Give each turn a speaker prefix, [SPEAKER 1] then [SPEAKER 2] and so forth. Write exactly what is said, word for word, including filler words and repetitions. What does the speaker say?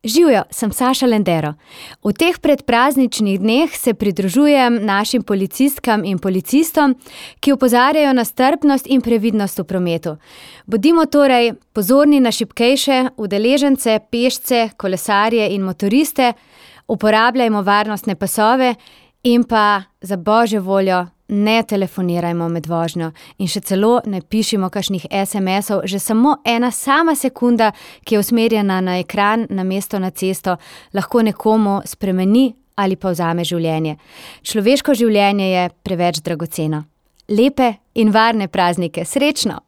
[SPEAKER 1] Živijo, sem Saša Lendero. V teh predprazničnih dneh se pridružujem našim policistkam in policistom, ki opozarjajo na strpnost in previdnost v prometu. Bodimo torej pozorni na šibkejše udeležence, pešce, kolesarje in motoriste, uporabljajmo varnostne pasove in pa za božjo voljo ne telefonirajmo med vožnjo in še celo ne pišimo kakšnih es em esov, že samo ena sama sekunda, ki je usmerjena na ekran namesto na cesto, lahko nekomu spremeni ali pa vzame življenje. Človeško življenje je preveč dragoceno. Lepe in varne praznike, srečno!